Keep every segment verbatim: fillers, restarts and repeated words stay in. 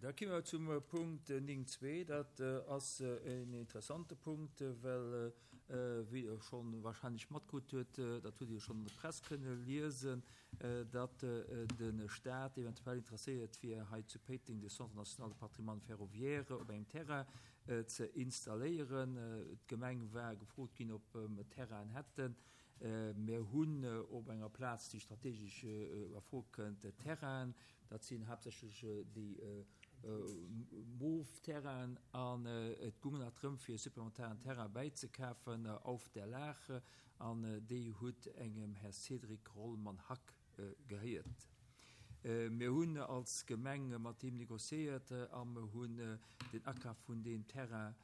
Da komme mer zum Punkt néng zwee. Dat ass en interessante Punkt, well, wéi Der scho wahrscheinlech matkritt hutt, dat hutt Dir jo schonn an der Press kënne liesen, datt de Stat eventuell interesséiert wier, hei zu Péiteng de Centre national de patrimoine ferroviaire op engem Terrain ze installéieren. D'Gemeng war gefrot ginn, ob mer Terrainen hätten. Mir hunn op enger Plaz, déi strategesch a Fro kënnt, Terrainen. Dat sinn haaptsächlech déi Mof-Terrainen. An et goung nach drëm, fir e supplementaren Terrain bäizekafen auf der Laach. An déi huet engem Här Cédric Rollmann-Hack gehéiert. Mir hunn als Gemeng mat him négociéiert a mer hunn den Akaf vun deem Terrain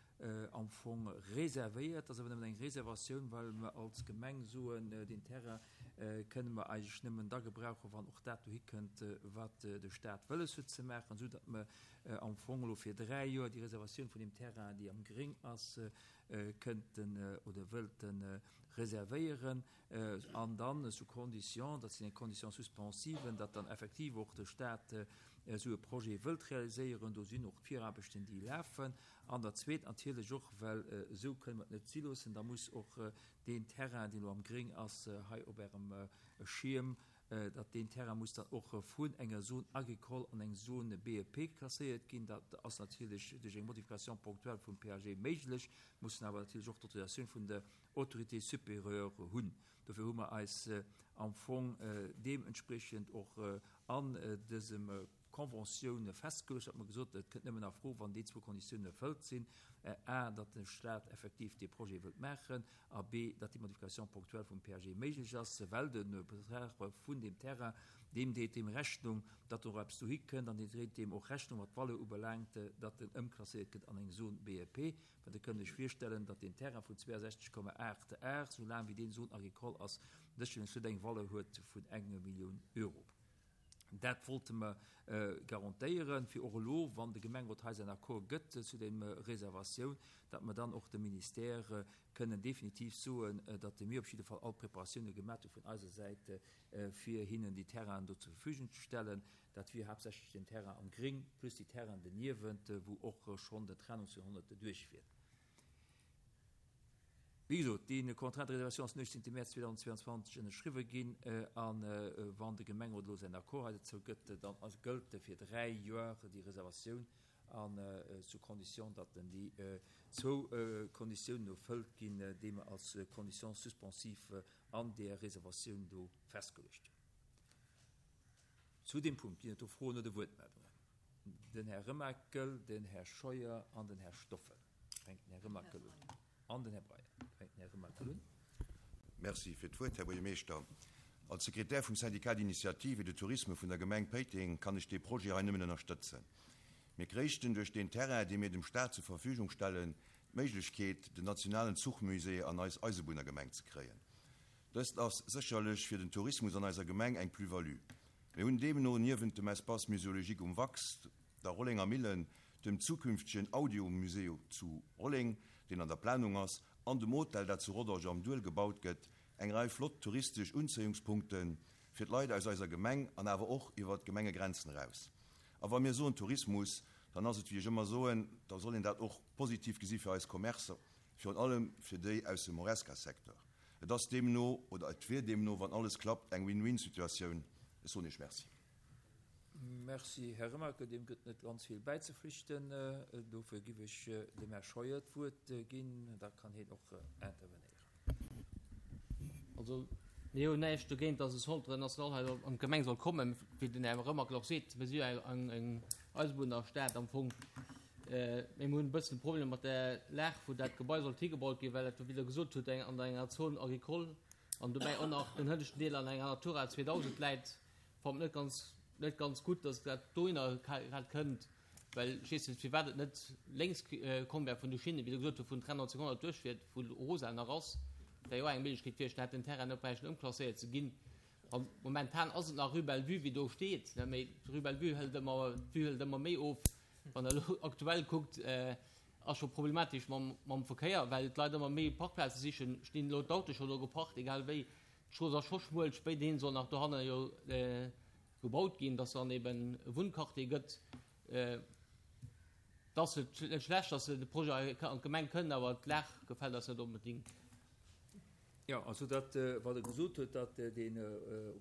am Fong reservéiert. Dat ass awer nëmmen eng Reservatioun, well mer als Gemeng soen, deen Terrain kënne mer eigentlech nëmmen da gebrauchen, wann och dat dohi kënnt, wat de Stat wëlles huet ze maachen, esou datt mer am Fong elo fir dräi Joer déi Reservatioun vun deem Terrain, déi am Gréng ass, kënnten oder wëllten reservéieren, an dann sous condition, dat sinn eng Condition suspensive, datt dann effektiv och de Stat esou e Projet wëllt realiséieren. Do sinn och d'Viraarbechten, déi lafen. An der zweet natierlech och, well esou kënne mer et net si loossen, da muss och deen Terrain, deen elo am Gréng ass, hei op Ärem Schierm, datt deen Terrain muss dann och vun enger Zone agricole an eng Zone B E P klasséiert ginn. Dat ass natierlech duerch eng Modification ponctuelle vum P A G méiglech, mussen awer natierlech och d'Autorisatioun vun der Autorité supérieure hunn. Dofir hu mer eis am Fong deementspriechend och an dësem Conventioun festgeluecht, datt mer gesot hunn, et kënnt nëmmen a Fro, wann déi zwou Konditiounen erfëllt sinn, a, datt de Stat effektiv dee Projet wëllt maachen, a b, datt déi Modification ponctuelle vum P A G méiglech ass, well de Betrag vun deem Terrain, deem deet deem Rechnung, datt och eppes dohi kënnt, an deen dréit deem och Rechnung, wat d'Valeur ubelaangt, datt en ëmklasséiert gëtt an eng Zone B E P. Well Der kënnt lech virstellen, datt deen Terrain vun zweiundsechzeg Komma aacht Ar, soulaang wéi deen Zone agricole ass, sécherlech net eng Valeur huet vun enger Millioun Euro. Dat wollte mer garantéieren, fir och elo, wann de Gemengerot hei säin Accord gëtt zu der Reservatioun, datt mer dann och dem Ministère kënnen definitiv soen, datt mir op jidde Fall all Preparatioune gemaach hu vun eiser Säit, fir hinnen déi Terrainen do zur Verfügung ze stellen. Dat wier haaptsächlech den Terrain am Gring plus déi Terrainen doniewent, wou och schonn den Train neunzehnhundert duerchfiert. Wéi gesot, dee Contrat de réservation ass den uechtzéngte Mäerz zweedausendzweiundzwanzeg ënnerschriwwe ginn, a wann de Gemengerot elo säin Accord hei dozou gëtt, dann gëllt fir dräi Joer déi Reservatioun, a sous condition, datt déi zwou Konditiounen erfëllt ginn, déi mer als Condition suspensive an där Reservatioun do festgeluecht hunn. Zu deem Punkt ginn et do Froen oder Wuertmeldungen. Den Här Remakel, den Här Scheuer an den Här Stoffel. Fänkt den Här Remakel un. An den Här Breyer. Fänkt den Här Remakel un. Merci fir d'Wuert, Här Buergermeeschter. Als Sekretär vum Syndicat d'initiative et de tourisme vun der Gemeng Péiteng kann ech dee Projet hei nëmmen ënnerstëtzen. Mir kréichten duerch deen Terrain, dee mir dem Staat zur Verfügung stellen, d'Méiglechkeet, den nationalen Zuchmusée an eis Eisebunnergemeng ze kréien. Dëst ass sécherlech fir den Tourismus an eiser Gemeng eng Plus-value. Mir hunn deemno niewent dem Espace muséologique um Wax, der Rollenger Millen, dem zukünftegen Audiomusée zu Rolleng, deen an der Planung ass, an dem Hotel, dat zu Rodange am Duel gebaut gëtt, eng Rei flott touristesch Unzéiungspunkte fir d'Leit aus eiser Gemeng an awer och iwwer d'Gemengegrenzen eraus. A wa mir soen Tourismus, dann ass et, wéi ech ëmmer soen, da soll een dat och positiv gesi fir eis Commercer, virun allem fir déi aus dem Horesca-Secteur. Et ass deemno, oder et wier deemno, wann alles klappt, eng Win-win-Situatioun. Ech soen Iech Merci. Merci, Här Remakel. Deem gëtt net ganz vill bäizeflichten. Dofir giff ech dem Här Scheuer d'Wuert ginn, da kann hien och intervenéieren. Also, mir hunn näischt dogéint, dass e Centre national hei an d'Gemeng soll kommen. Wéi den Här Remakel och seet, mir si jo eng Eisebunnerstad am Fong. Mee mir hunn e bëssen e Problem mat der Lag, wou dat Gebai sollt higebaut ginn, well dat, wéi Der gesot hutt, an enger Zone agricole an dobäi och nach den hënneschten Deel an enger Natura zweedausend läit. Fand net ganz, net ganz gutt, dass dat dohinner grad kënnt, well ech weess net, firwat et net lénks komm wär vun de Schinnen, wéi Der gesot hutt, wou den Train neunzehnhundert duerchfiert, wou Rosa nach ass, wär jo och eng Méiglechkeet gewiescht, da hätt den Terrain net bräichten ëmklasséiert ze ginn. A momentan ass et nach Rue Bellevue, wéi do steet, mee d'Rue Bellevue hëlt ëmmer, d'Vue hëlt ëmmer méi of. Wann Der elo aktuell kuckt, ass scho problematesch mam, mam Verkéier, well d'Leit ëmmer méi Parkplaze sichen, stinn elo d'Autoe scho do geparkt, egal wéi. D'Strooss ass scho schmuel, spéiderhin soll nach dohanne jo gebaut ginn, dass dann eben e Wunnquartier gëtt. Et ass net schlecht, dass de Projet an d'Gemeng kënnt, awer d'Lag gefält eis net onbedéngt. Jo, also dat, wat e gesot huet, datt dee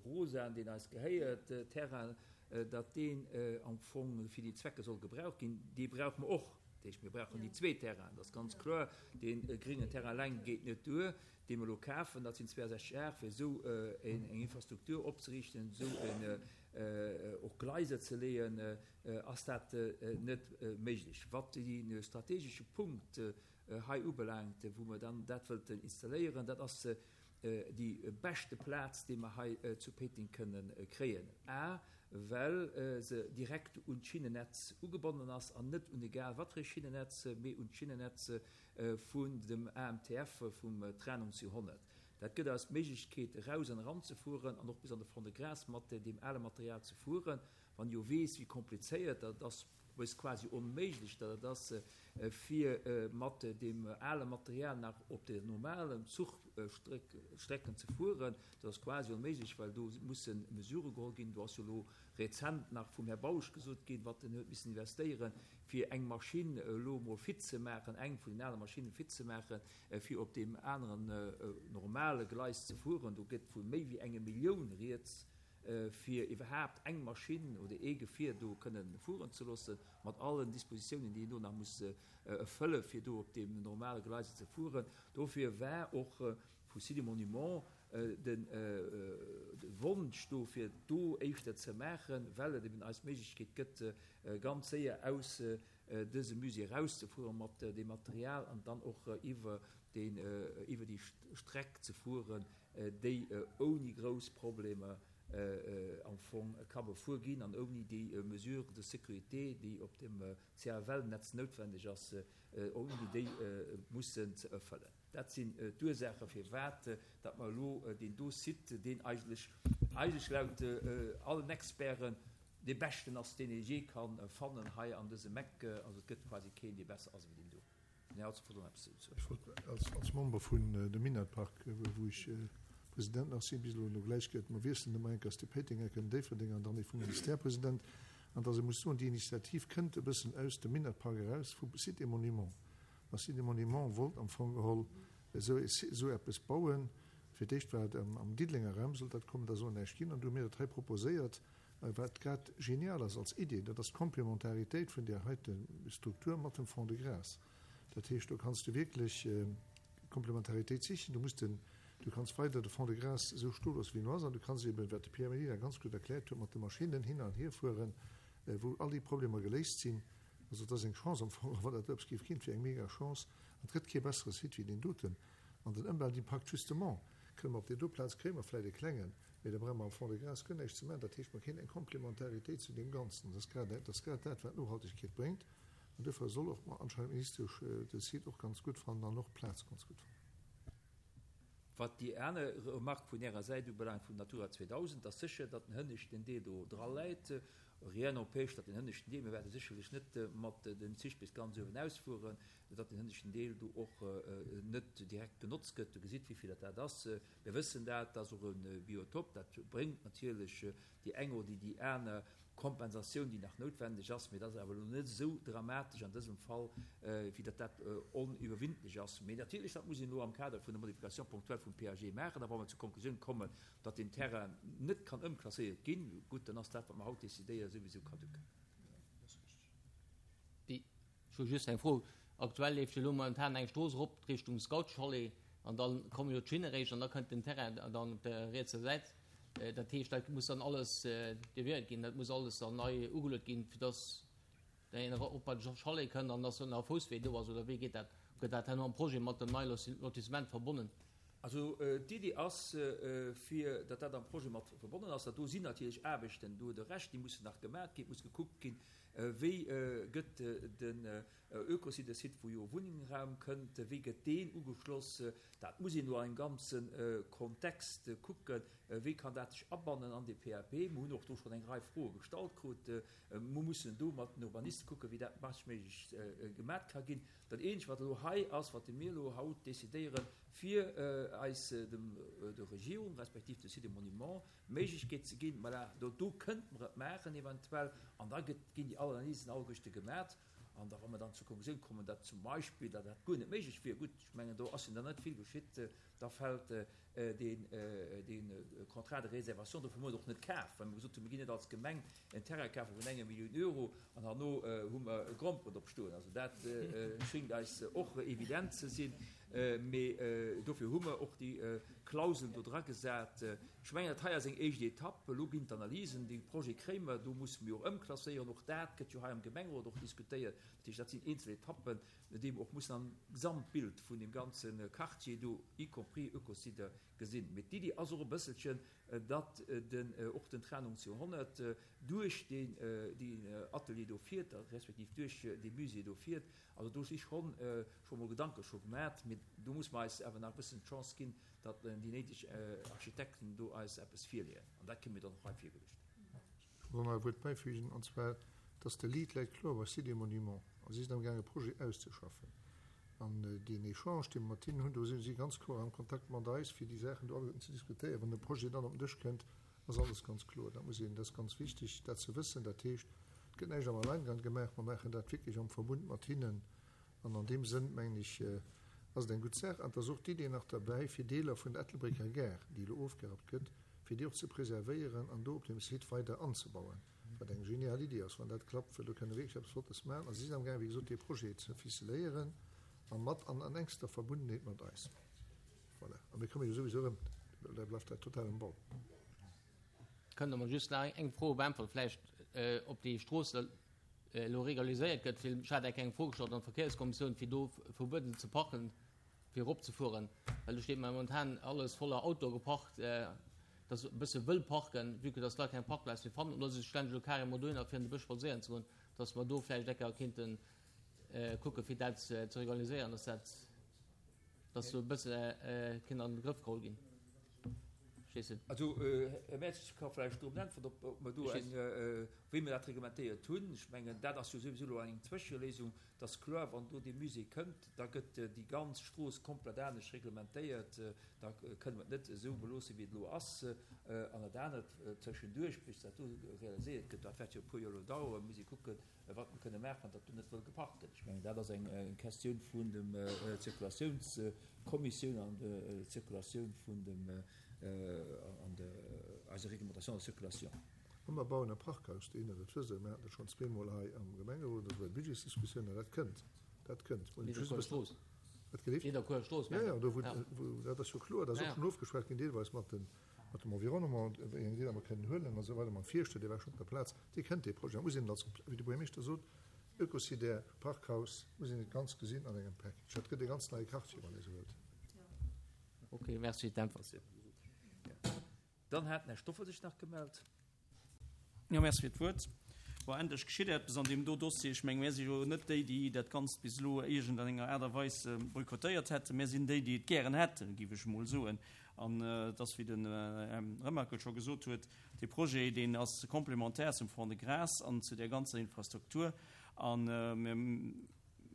rosaen, deen eis gehéiert, Terrain, datt deen am Fong fir déi Zwecke soll gebraucht ginn, dee brauche mer och. Dat heescht, mir brauchen déi zwee Terrainen, dat ass ganz kloer. Dee gréngen Terrain eleng geet net duer, dee mer elo kafen, dat sinn zweeënsechzeg Ar, fir esou eng Infrastruktur opzeriichten, esou och Gleiser ze leeën, ass dat net méiglech. Wat dee strategesche Punkt hei ubelaangt, wou mer dann dat wëllten installéieren, dat ass déi beschte Plaz, déi mer hei zu Péiteng kënnen kréien. A well se direkt un d'Schinnennetz ugebonnen ass an net un egal wat fir e Schinnennetz, mee un d'Schinnennetz vun dem A M T F, vum Train neunhundert. Dat gëtt eis d'Méiglechkeet, eraus an eran ze fueren an och bis an de Fond-de-Gras mat deem ale Material ze fueren. Wann jo weess, wéi komplizéiert dat ass, bis quasi onméiglech dat et ass, fir mat deem ale Material nach op de normalen Zuchstrecken ze fueren, dat ass quasi onméiglech, well do musse Mesurë geholl ginn. Do ass jo elo rezent nach vum Här Bausch gesot ginn, wat en huet missen investéieren, fir eng Maschinn elo emol fit ze maachen, eng vun den ale Maschinne fit ze maachen, fir op deem aneren normale Gleis ze fueren. Do gëtt vu méi wéi enge Millioun rieds, fir iwwerhaapt eng Maschinn oder ee Gefier do kënnen fueren ze loossen, mat allen Dispositiounen, déi een do nach muss erfëllen, fir do op deem normale Gleis ze fueren. Dofir war och vu Sites et Monuments de Wonsch do, fir do éischter ze maachen, well et eben eis d'Méiglechkeet gëtt, ganz séier aus dësem Musée erauszefuere mat deem Material an dann och iwwer deen, iwwer déi Streck ze fueren, déi ouni grouss Problemer am Fong ka befuer ginn an ouni déi Mesure de sécurité, déi op dem C F L-Netz noutwendeg ass, ouni déi mussen ze erfëllen. Dat sinn d'Ursaache firwat datt mer elo deen do Site, deen eigentlech eigentlech laut allen Experten dee beschten ass, deen ee jee ka fannen hei an dësem Eck, also et gëtt quasi keen, dee besser ass ewéi deen do. Den Här Hudson wollt och nach eppes dozou soen. Ech wollt als, als Member vun dem Minett-Park, wou ech President nach sinn, bis elo no gläich gëtt, mer wiesselen ëmmer eng Kéiers de Péitenger, den Déifferdenger an dann ee vum Ministère President, an dass ee muss soen, déi Initiativ kënnt e bëssen aus dem Minett-Park eraus, vu Sites et Monuments. A Sites et Monuments wollt am Fong geholl esou, esou eppes bauen. Fir d'éischt war et am, am Diddelenger Raum sollt dat kommen, da soll näischt ginn, an du hu mir dat hei proposéiert, wat grad genial ass als Idee, dat ass d'Komplementaritéit vun där heite Struktur mat dem Fonds de Gras. Dat heescht, do kanns du wierklech Komplementaritéit sichen. Du muss den, du kanns weider de Fonds de Gras esou stoe loossen, wéi en ass, an du kanns eben, wat de Pierre Mellina ganz gutt erkläert huet, mat de Maschinnen hin an hier fueren, wou all déi Problemer geléist sinn. Also dat ass eng Chance am Fong, wann dat eppes géif ginn, et wier eng mega Chance. An et gëtt kee bessere Site wéi deen doten. An den Ëmweltimpakt justement, kënne mer op där do Plaz kréie mer vläicht e klengen, mee da brauche mer am Fonds de Gras guer näischt ze maachen. Dat heescht, mer kréien eng Komplementaritéit zu deem Ganzen. Dat ass grad, dat ass grad dat, wat Nohaltegkeet bréngt. An duerfir soll och anscheinend d'Ministesch de Site och ganz gutt fannen an och d'Plaz ganz gutt fannen. Wat déi aner Remarque vun Ärer Säit ubelaangt vum Natura zweedausend, ass sécher, datt den hënneschten Deel do dra läit. Rien n'empêche, datt den hënneschten Deel, mir wäerte sécherlech net mat den Zich bis ganz uewen ausfueren, datt den hënneschten Deel do och net direkt benotzt gëtt. Du gesitt, wéi vill dat dat ass. Mir wëssen dat, dat ass och e Biotop, dat bréngt natierlech déi eng oder déi aner Kompensatioun, déi nach noutwendeg ass, mee dat ass awer elo net esou dramatesch an dësem Fall, wéi datt dat oniwwerwindlech ass. Mee natierlech, dat muss een elo am Kader vun der Modification ponctuelle vum P A G maachen. A wa mer zur Konklusioun kommen, datt deen Terrain net kann ëmklasséiert ginn, gutt, dann ass dat, wat mer haut decidéieren, souwisou caduc. Déi, ech hu just eng Fro. Aktuell leeft jo elo momentan eng Strooss erop Richtung Scoutschalet an da komme jo d'Schinne réischt an da kënnt den Terrain dann op der rietser Säit. Dat heescht, dat muss dann alles deviéiert ginn, dat muss alles dann nei ugeluet ginn, fir dass een erop bei de Chalet kënnt an dass dann nach e Fousswee do ass, oder wéi geet dat? Gëtt dat herno am Projet mat dem neie Lotissement verbonnen? Also d'Iddi ass, fir datt dat am Projet mat verbonnen ass. Dat do sinn natierlech Aarbechten, do hutt Der Recht, déi mussen nach gemaach ginn. Et muss gekuckt ginn, wéi gëtt den Ökosite-Site, wou jo Wunnraum kënnt, wéi gëtt deen ugeschloss. Dat muss een elo am ganze Kontext kucken, wéi kann dat sech abannen an de P A P. Mir hunn och do schonn eng Rei Froe gestallt krut. Mir mussen do mat den Urbaniste kucken, wéi dat beschtméiglech gemat ka ginn. Dat Eenzegt, wat elo hei ass, wat mir elo haut decidéieren, fir eis dem, der Regierung respektiv de Sites et Monuments d'Méiglechkeet ze ginn, voilà, do, do kënnte mer et maachen eventuell, an da gëtt, ginn déi all Analysen alleguerte gemat. An da wa mer dann zur Konklusioun kommen, datt zum Beispill, datt dat guer net méiglech wier, gutt, ech mengen, do ass jo dann net vill geschitt, da fält deen, dee Contrat de réservation, dofir hu mer et och net kaf, well mer gesot hunn, mir ginn net als Gemeng en Terrain kafe vun enger Millioun Euro an herno hu mer e Gromperen drop stoen. Also dat schéngt eis och evident ze sinn. Mee dofir hu mer och déi Klauselen do dra gesat. Ech mengen, dat hei ass eng éischt Etapp. Elo ginn d'Analysen, dee Projet kréie mer, do musse mir och ëmklasséieren. Och dat gëtt jo hei am Gemengerot och diskutéiert. Dat heescht, dat sinn eenzel Etappen, déi mer och mussen am Gesamtbild vun deem ganze Quartier do, y compris Eucosider, gesinn. Mee d'Iddi ass och e bësselchen, datt den, och den Train neunzehnhundert duerch deen, deen Atelier do fiert, respektiv duerch dee Musée do fiert. Also do si schonn, scho mol Gedanke scho gemat, mee do muss mer eis awer nach e bëssen d'Chance ginn, datt déi néideg Architekten do eis eppes virleeën. An dat kréie mir dann och hei virgeluecht. Ech wollt nach e Wuert bäifügen, an zwar, datt de Lead läit kloer bei Sites et Monuments a si sinn amgaange Projet auszeschaffen. An deen Echange, dee mer mat hinnen hunn, do si si ganz kloer am Kontakt mat eis, fir déi Saachen do alleguerten ze diskutéieren. Wann de Projet dann op den Dësch kënnt, ass alles ganz kloer. Dat muss een, dat ass ganz wichteg, dat ze wëssen. Dat heescht, et gëtt näischt am Alleingang gemaach, mer maachen dat wierklech am Verbund mat hinnen. An an deem Sënn, mengen ech, ass et eng gutt Saach. An et ass och d'Idee nach derbäi, fir Deeler vun der Ettelbrécker Gare, déi elo ofgerappt gëtt, fir déi och ze preservéieren an do op deem Site weider anzebauen, wat eng genial Iddi ass, wann dat klappt, well do kënne wierklech eppes Flottes maachen. A si sinn amgaang, wéi gesot, dee Projet ze ficeléieren a mat an an enkster Verbundenheet mat eis. Voilà. A mir komme jo souwisou erëm, da bleift dat total um Bau. Kënnt Der mer just nach eng Fro beäntweren, vläicht, ob déi Strooss elo regulariséiert gëtt? Well ech hat eng eng Fro gestallt an der Verkéierskommissioun, fir do verbueden ze parken, fir eropzefueren, well do steet momentan alles voller Autoe geparkt, dass e bësse wëll parken, vue que dass d'Leit keng Parkplaz méi fannen oder sech ständig elo carrément dohinner fir an de Bësch spadséieren ze goen, dass mer do vläicht ecke kéinten kucke fir dat ze regulariséieren, dass dat, dass do e bësse kéint an de Grëff geholl ginn. Verstees de? Also, Här Mertz, ech ka vläicht drop äntweren, ob, ob mer do eng, wéi mer dat reglementéiert hunn. Ech mengen, dat ass jo souwisou elo eng Zwëscheléisung. Et ass kloer, wann do dee Musée kënnt, da gëtt déi ganz Strooss komplett anescht reglementéiert. Da kënne mer et net esou beloossen, wéi et elo ass. An dat anert tëschenduerch, bis dat do realiséiert gëtt, dat wäert jo e puer Joer elo daueren, muss ee kucken, wat mer kënne maachen, datt do net wëll geparkt gëtt. Ech mengen, dat ass eng Questioun vun dem Zirkulatiounskommissioun an der Zirkulatioun vun dem, an der eiser Réglementation de circulation. A mer bauen e Parkhaus dohinner, dat wësst Der, mir haten dat schonn zweemol hei am Gemengerot, also bei der Budgetsdiskussioun, an dat kënnt, dat kënnt. Nidderkuer Strooss. Wat gelift? Nidderkuer Strooss, Ja, ja, do wou, wou, dat ass jo kloer, dat ass och schonn ofgeschwat ginn, deelweis mat den, mat dem Environnement, wéi eng Deeler mer kënnen huelen a sou weider, mam Fierschter, dee war schonn op der Plaz, dee kënnt, dee Projet. Da muss een als, wéi de Buergermeeschter sot, Ökocidaire, Parkhaus, muss een et ganz gesinn an engem Package. Dat gëtt e ganz neie Quartier, wann ee sou wëllt. Ok, merci fir d'Äntwert. Dann hat den Här Stoffel sech nach gemellt. Jo, merci fir d'Wuert. Bon, endlech geschitt eppes an deem do Dossier. Ech menge mir si jo net déi, déi dat Ganzt bis elo iergend an enger Aart a Weis boykottéiert hätten. Mir sinn déi, déi et gären hätten, géif ech emol soen. An et ass, wéi den Här Remakel scho gesot huet, dee Projet, deen ass complémentaire zum Fonds de Grâce an zu där ganzer Infrastruktur. A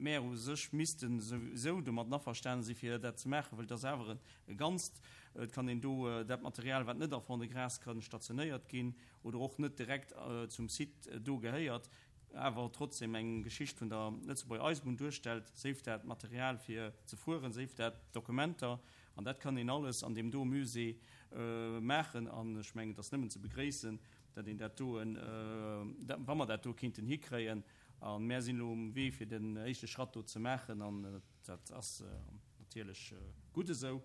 mir u sech misste souwisou domat averstanen si fir dat ze maachen, well et ass awer e Ganzt. Et kann een do dat Material, wat net a Fonds de Grâce ka stationéiert ginn oder och net direkt zum Site do gehéiert, awer trotzdem eng Geschicht vun der Lëtzebuerger Eisebunn duerstellt, séif dat Material fir ze fueren, séif dat Dokumenter, an dat kann een alles an deem do Musée maachen. An ech mengen, et ass nëmmen ze begréissen, datt een dat do, wa mer dat do kéinten hikréien. A mär sinn elo um Wee fir den éischte Schratt do ze maachen, an dat ass natierlech gutt esou.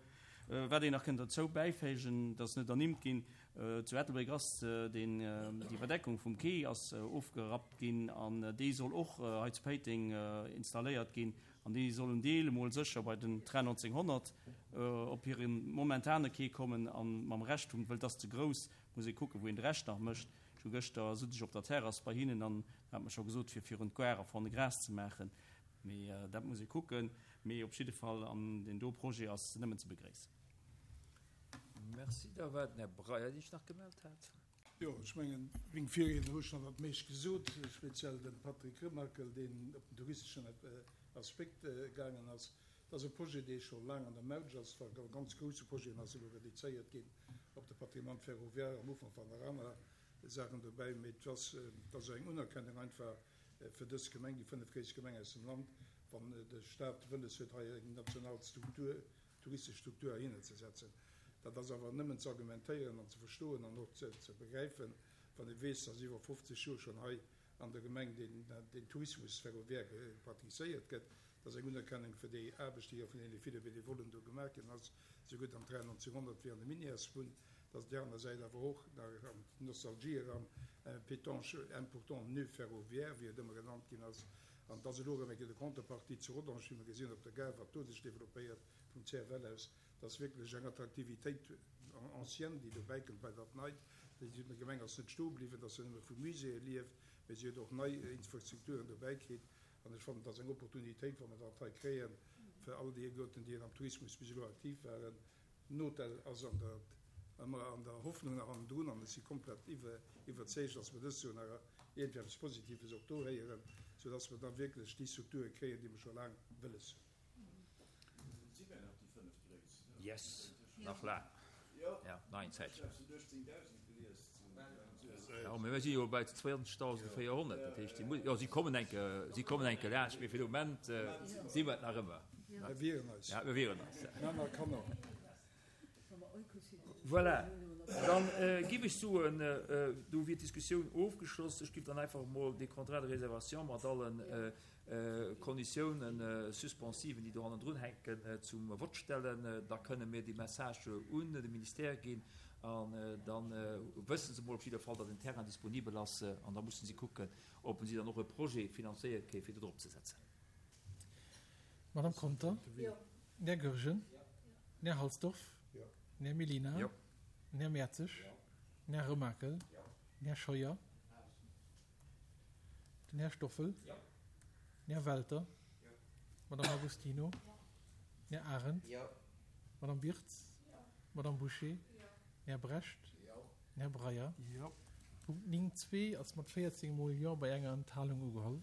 Wat een nach kënnt derzou bäiféigen, dat ass net ernimmt ginn, zu Ettelbréck ass deen, déi Iwwerdeckung vum Quai ass ofgerappt ginn an déi soll och hei zu Péiteng installéiert ginn an déi soll en Deel emol sécher bei den Train neunzehnhundert op hire momentane Quai kommen a mam Rescht vum, wëll et ass ze grouss, muss ee kucken, wou een de Rescht nach mécht. Ech hu gëschter, sot ech op der Terrass bei hinnen an hat mer scho gesot, fir virun d'Gare a Fond-de-Gras ze maachen. Mee dat muss ee kucken. Mee op jidde Fall, an deen do Projet ass nëmmen ze begréissen. Merci. Da war den Här Breyer, dee sech nach gemellt hat. Jo, ech mengen, meng Virriedner hu schonn dat meescht gesot, speziell de Patrick Remakel, deen op den touristeschen Aspekt gaangen ass. Et ass e Projet, dee scho laang an der Mautsch ass, war e ganz grousse Projet an ass elo reduzéiert ginn op de Patrimoine ferroviaire. Am Ufank waren nach aner Saachen dobäi, mee et ass, et ass eng Unerkennung einfach fir dës Gemeng, déi fënnefgréisst Gemeng aus dem Land, wann de Staat wëlles huet, hei eng national Struktur, touristesch Struktur heihinner ze setzen. Dat ass awer nëmmen ze argumentéieren an ze verstoen an och ze, ze begräifen, wann ee weess, dass iwwer fofzeg Joer schonn hei an der Gemeng den, den Tourismus ferroviaire praktizéiert gëtt. Dat ass eng Unerkennung fir déi Aarbecht, déi jo vun deene ville Benevollen do gemaach ginn ass, sougutt am Train neunzehnhundert wéi an de Minièresbunn. Dat ass op där aner Säit awer och nach an d'Nostalgie eran, Pétange, important nœud ferroviaire, wéi et ëmmer genannt ginn ass. An et ass elo erëm eng Kéier de Contrepartie zu Rodange, wéi mer gesinn op der Gare, wat do sech développéiert vum C F L aus. Dat ass wierklech eng Attraktivitéit ancienne, déi dobäi kënnt bei dat Neit. Déi Gemeng ass net stoe bliwwen, dass se nëmme vu Muséeë lieft, mee si huet och nei Infrastrukturen dobäi kritt. An ech fannen, dat ass eng Opportunitéit, wa mer dat hei kréien, fir all déi Goten, déi am Tourismus bis elo aktiv waren. Den Hotel ass an der, ëmmer an der Hoffnung nach hannendrun an ech si komplett iwwer, iwwerzeegt, dass mer dëst Joer nach iergendwéi eppes Positives och do héieren, soudass mer da wierklech déi Strukture kréien, déi mer scho laang wëlles hunn. Si wär nach déi fënneft-gréisst, ne? Yes, nach laang. Jo. Ja, nach eng Zäitchen. Ech hat uechtzéngdausend gelies. Jo, mee mir si jo bei zwéianzegdausendvéierhonnert, dat heescht, si mu-, jo, si kommen enke, si kommen enke laanscht, mee fir de Moment si mer et nach ëmmer. Mir wieren eis. Ja, mir wieren eis. Männer, Kanner. Voilà, dann giff ech soen, do wier d'Diskussioun ofgeschloss. Ech giff dann einfach emol dee Contrat de réservation mat allen Konditiounen suspensiven, déi do hannendrun hänken, zum Vott stellen. Da kënne mir dee Message un de Ministère ginn an da wësse se emol op jidder Fall, datt en Terrain disponibel ass an da mussen si kucken, ob si dann och e Projet finanzéiert kréien, fir dat eropzesetzen. Madame Conter? Jo. Den Här Goergen? Den Här Halsdorf? Jo. Den Här Mellina? Jo. Den Här Mertzig? Den Här Remakel? Den Här Scheuer? Den Här Stoffel? Den Här Welter? Madame Agostino? Den Här Arendt? Madame Birtz? Madame Boucher? Den Här Brecht? Den Här Breyer? Jo. Punkt néng zwee ass mat véierzéng mol Jo bei enger Enthalung ugeholl.